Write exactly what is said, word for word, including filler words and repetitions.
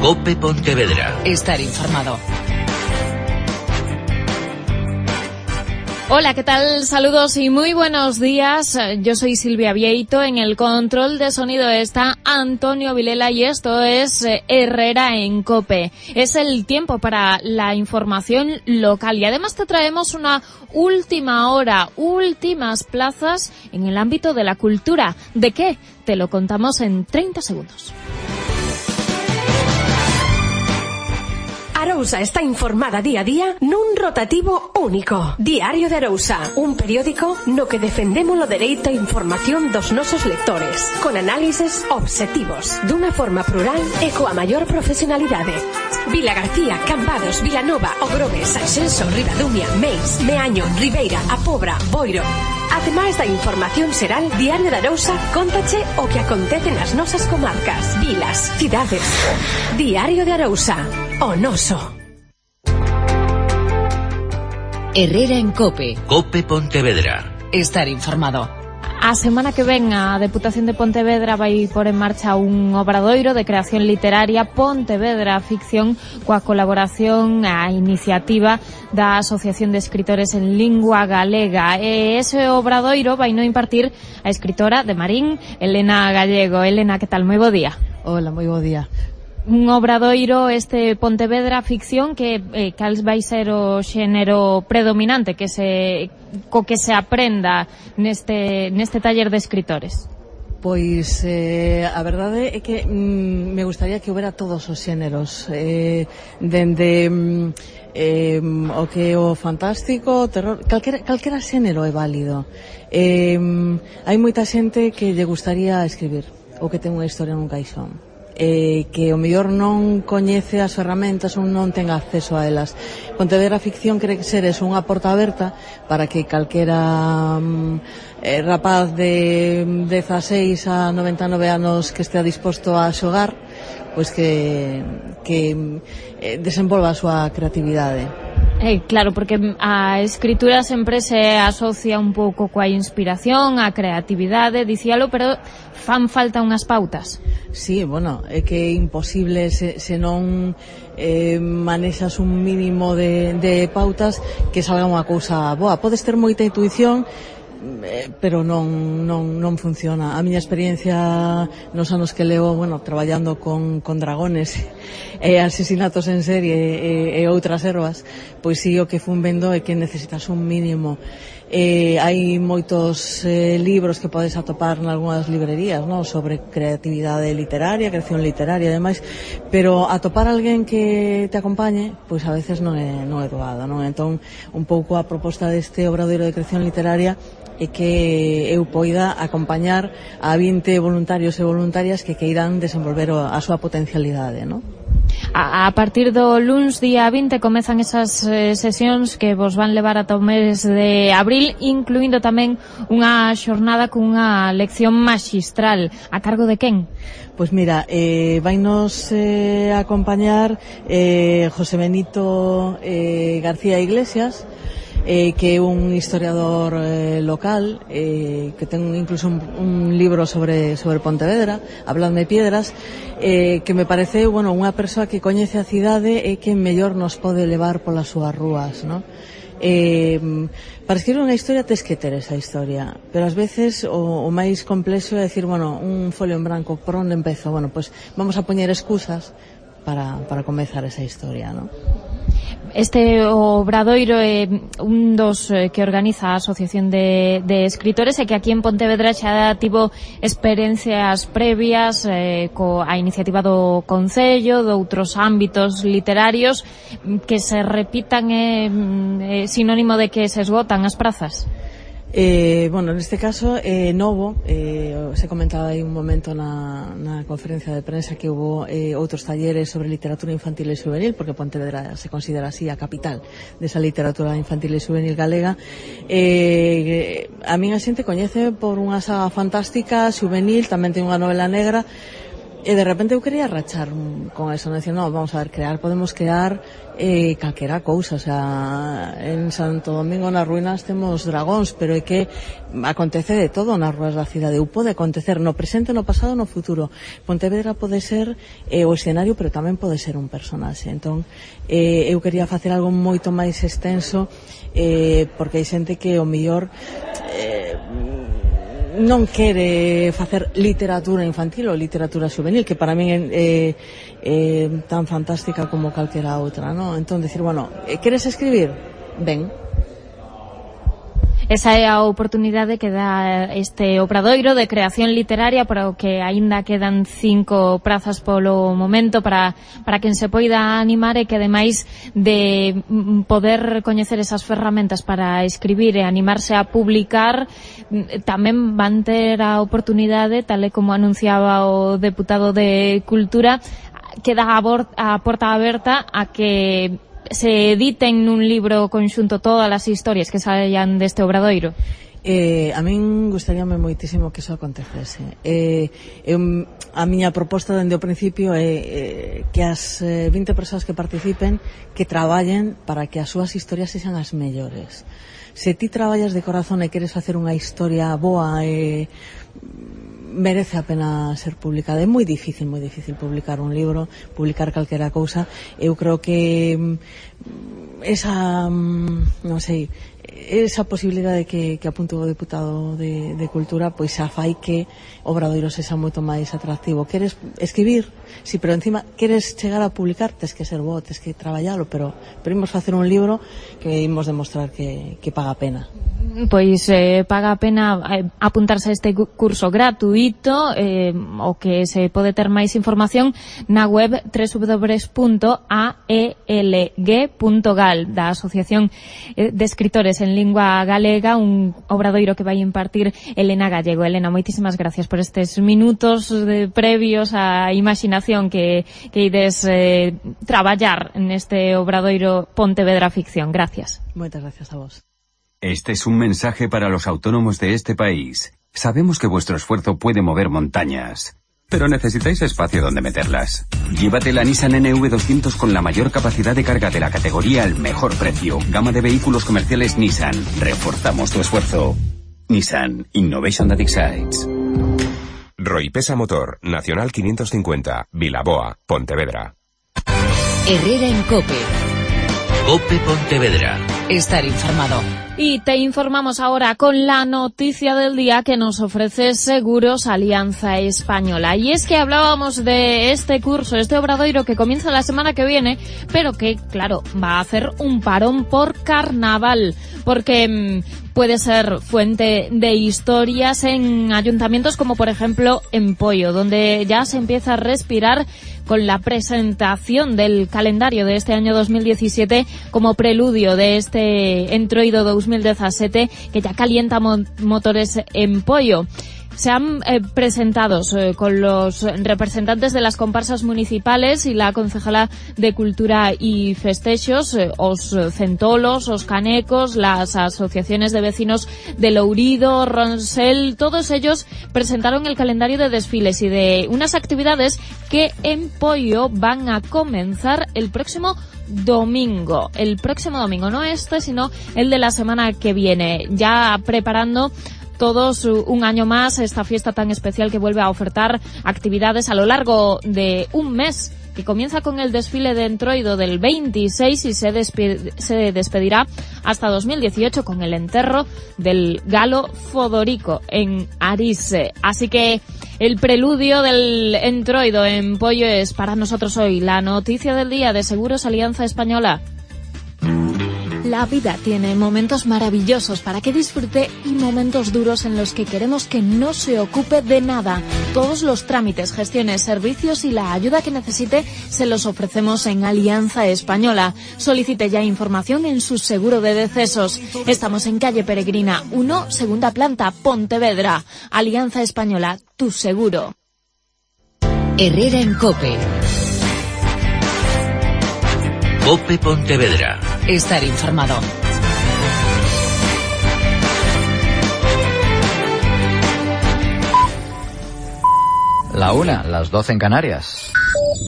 COPE Pontevedra. Estar informado. Hola, ¿qué tal? Saludos y muy buenos días. Yo soy Silvia Vieito. En el control de sonido está Antonio Vilela y esto es Herrera en COPE. Es el tiempo para la información local y además te traemos una última hora, últimas plazas en el ámbito de la cultura. ¿De qué? Te lo contamos en treinta segundos. Arousa está informada día a día nun rotativo único. Diario de Arousa, un periódico no que defendemos o dereito a información dos nosos lectores, con análises obxectivos, dunha forma plural e coa maior profesionalidade. Vila García, Cambados, Vilanova, Ogrove, Sanxenxo, Ribadumia, Meis, Meaño, Ribeira, A Pobra, Boiro. Ademais da información xeral, Diario de Arousa cóntache o que acontece nas nosas comarcas, vilas, cidades. Diario de Arousa, o noso. Herrera en COPE. COPE Pontevedra. Estar informado. A semana que ven a Deputación de Pontevedra vai por en marcha un obradoiro de creación literaria Pontevedra Ficción coa colaboración a iniciativa da Asociación de Escritores en Lingua Galega. E ese obradoiro vai no impartir a escritora de Marín, Elena Gallego. Elena, que tal? Moi bo día. Hola, moi bo día. Un obradoiro este Pontevedra Ficción que eh, cal vai ser o xénero predominante que se co que se aprenda neste neste taller de escritores. Pois eh, a verdade é que mm, me gustaría que houbera todos os xéneros, eh, dende mm, eh, o que o fantástico, o terror, calquera, calquera xénero é válido. Eh, hai moita xente que lle gustaría escribir ou que ten unha historia nun caixón. Eh, que o mellor non coñece as ferramentas ou non ten acceso a elas. Pontevedra Ficción quere ser eso, unha porta aberta para que calquera mm, eh, rapaz de dezaseis a noventa e nove anos que estea disposto a xogar, pois que, que eh, desenvolva a súa creatividade. Eh, claro, porque a escritura sempre se asocia un pouco coa inspiración, a creatividade, dicíalo, pero fan falta unhas pautas. Sí, bueno, é que é imposible se, se non eh, manexas un mínimo de, de pautas que salga unha cousa boa. Podes ter moita intuición, Eh, pero non, non, non funciona. A miña experiencia nos anos que levo, bueno, traballando con, con dragones e eh, asesinatos en serie e, e outras ervas, pois sí, o que fun vendo é que necesitas un mínimo. Eh, hai moitos eh, libros que podes atopar nalgúnas librerías, ¿no?, sobre creatividade literaria, creación literaria e demais, pero atopar alguén que te acompañe, pois a veces non é, non é doado, non? Entón, un pouco a proposta deste obradoiro de creación literaria é que eu poida acompañar a vinte voluntarios e voluntarias que queiran desenvolver a súa potencialidade, non? A, a partir do luns día vinte comezan esas eh, sesións que vos van levar ata o mes de abril, incluindo tamén unha xornada cunha lección maxistral. A cargo de quen? Pois mira, eh, vainos eh, acompañar eh, José Benito eh, García Iglesias, Eh, que é un historiador eh, local eh, que ten incluso un, un libro sobre, sobre Pontevedra, Habladme Piedras, eh, que me parece, bueno, unha persoa que coñece a cidade e que mellor nos pode levar polas súas rúas, ¿no? Eh, para escribir unha historia tes que ter esa historia, pero ás veces o, o máis complexo é decir, bueno, un folio en branco, por onde empezo? Bueno, pues vamos a poñer excusas para, para comezar esa historia, ¿no? Este obradoiro é un dos que organiza a Asociación de, de Escritores e que aquí en Pontevedra xa tivo experiencias previas eh, coa iniciativa do Concello, de outros ámbitos literarios que se repitan é eh, sinónimo de que se esgotan as prazas. Eh, bueno, neste caso é eh, novo, eh, se comentaba aí un momento na, na conferencia de prensa que hubo eh, outros talleres sobre literatura infantil e juvenil, porque Pontevedra se considera así a capital desa literatura infantil e juvenil galega. Eh, a min a xente coñece por unha saga fantástica, juvenil, tamén ten unha novela negra, E de repente eu quería rachar con eso, non dicir, no, vamos a ver, crear, podemos crear eh, calquera cousa, o sea, en Santo Domingo nas ruínas temos dragóns, pero é que acontece de todo nas ruas da cidade, ou pode acontecer no presente, no pasado, no futuro. Pontevedra pode ser eh, o escenario, pero tamén pode ser un personaxe. Entón, eh, eu quería facer algo moito máis extenso, eh, porque hai xente que o mellor eh, non quere facer literatura infantil ou literatura juvenil, que para min é eh, eh, tan fantástica como calquera outra, ¿no? Entón, decir, bueno, queres escribir? Ben. Esa é a oportunidade que dá este obradoiro de creación literaria, para o que aínda quedan cinco prazas polo momento para, para quen se poida animar, e que ademais de poder coñecer esas ferramentas para escribir e animarse a publicar, tamén van ter a oportunidade, tal e como anunciaba o deputado de Cultura, queda a porta aberta a que se editen nun libro conxunto todas as historias que saian deste obradoiro. Eh, a min gustaríame moitísimo que iso acontecese. Eh, eu, a miña proposta dende o principio é eh, que as eh, vinte persoas que participen, que traballen para que as súas historias sexan as mellores. Se ti traballas de corazón e queres facer unha historia boa e eh, merece a pena ser publicada. É moi difícil, moi difícil publicar un libro, publicar calquera cousa. Eu creo que esa, non sei, esa posibilidade que, que apuntou o deputado de, de Cultura, pois xa fai que o obradoiro sexa moito máis atractivo. Queres escribir? Si, pero encima queres chegar a publicar, tes que ser bo, tes que traballalo, pero, pero imos facer un libro que imos demostrar que, que paga a pena. Pois eh, paga a pena eh, apuntarse a este curso gratuito, eh, o que se pode ter máis información na web doble u doble u doble u punto a e l g punto gal da Asociación de Escritores en Lingua Galega, un obradoiro que vai impartir Elena Gallego. Elena, moitísimas gracias por estes minutos de previos á imaginación que, que ides eh, traballar neste obradoiro Pontevedra Ficción. Gracias. Moitas gracias a vos. Este es un mensaje para los autónomos de este país. Sabemos que vuestro esfuerzo puede mover montañas, pero necesitáis espacio donde meterlas. Llévate la Nissan N V doscientos con la mayor capacidad de carga de la categoría al mejor precio. Gama de vehículos comerciales Nissan. Reforzamos tu esfuerzo. Nissan. Innovation that excites. Roipesa Motor. Nacional quinientos cincuenta. Vilaboa. Pontevedra. Herrera en COPE. COPE Pontevedra. Estar informado. Y te informamos ahora con la noticia del día que nos ofrece Seguros Alianza Española. Y es que hablábamos de este curso, este obradoiro que comienza la semana que viene, pero que, claro, va a hacer un parón por carnaval, porque mmm, puede ser fuente de historias en ayuntamientos como, por ejemplo, en Poio, donde ya se empieza a respirar con la presentación del calendario de este año dos mil diecisiete como preludio de este entroido dos mil diecisiete que ya calienta mo- motores en Poio. Se han eh, presentado eh, con los representantes de las comparsas municipales y la concejala de Cultura y Festexos, eh, os centolos, os canecos, las asociaciones de vecinos de Lourido, Ronsel, todos ellos presentaron el calendario de desfiles y de unas actividades que en Poio van a comenzar el próximo domingo, el próximo domingo, no este, sino el de la semana que viene, ya preparando todos un año más esta fiesta tan especial que vuelve a ofertar actividades a lo largo de un mes, que comienza con el desfile de entroido del veintiséis y se, despe- se despedirá hasta dos mil dieciocho con el enterro del Galo Fodorico en Arise. Así que el preludio del entroido en Poio es para nosotros hoy la noticia del día de Seguros Alianza Española. La vida tiene momentos maravillosos para que disfrute y momentos duros en los que queremos que no se ocupe de nada. Todos los trámites, gestiones, servicios y la ayuda que necesite se los ofrecemos en Alianza Española. Solicite ya información en su seguro de decesos. Estamos en calle Peregrina uno, segunda planta, Pontevedra. Alianza Española, tu seguro. Herrera en COPE. COPE Pontevedra. Estar informado. La una, las doce en Canarias.